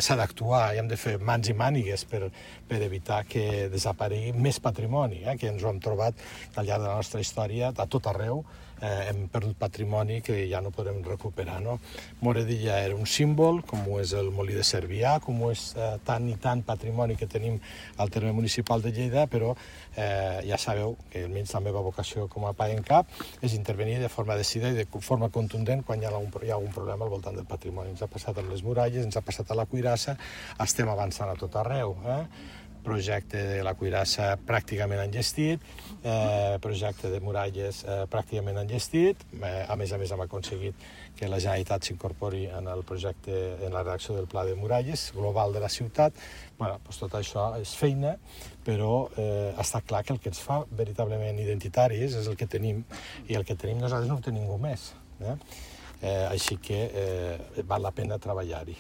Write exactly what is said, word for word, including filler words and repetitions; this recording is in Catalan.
s'ha d'actuar i hem de fer mans i mànigues per, per evitar que desaparegui més patrimoni, eh, que ens ho hem trobat al llarg de la nostra història a tot arreu. Eh, hem perdut patrimoni que ja no podem recuperar, no? Moredilla era un símbol, com ho és el Molí de Cervià, com ho és eh, tant i tant patrimoni que tenim al terme municipal de Lleida, però eh, ja sabeu que almenys la meva vocació com a P A E N C A P és intervenir de forma decidida i de forma contundent quan hi ha un, hi ha un problema al voltant del patrimoni. Ens ha passat amb les muralles, ens ha passat a la Cuirassa, estem avançant a tot arreu, eh? Projecte de la Cuirassa pràcticament enllestit, eh, projecte de muralles eh, pràcticament enllestit, eh, a més a més hem aconseguit que la Generalitat s'incorpori en el projecte, en la redacció del pla de muralles global de la ciutat. Bueno, doncs tot això és feina, però eh, està clar que el que ens fa veritablement identitaris és el que tenim, i el que tenim nosaltres no ho té ningú més. Eh? Eh, així que eh, val la pena treballar-hi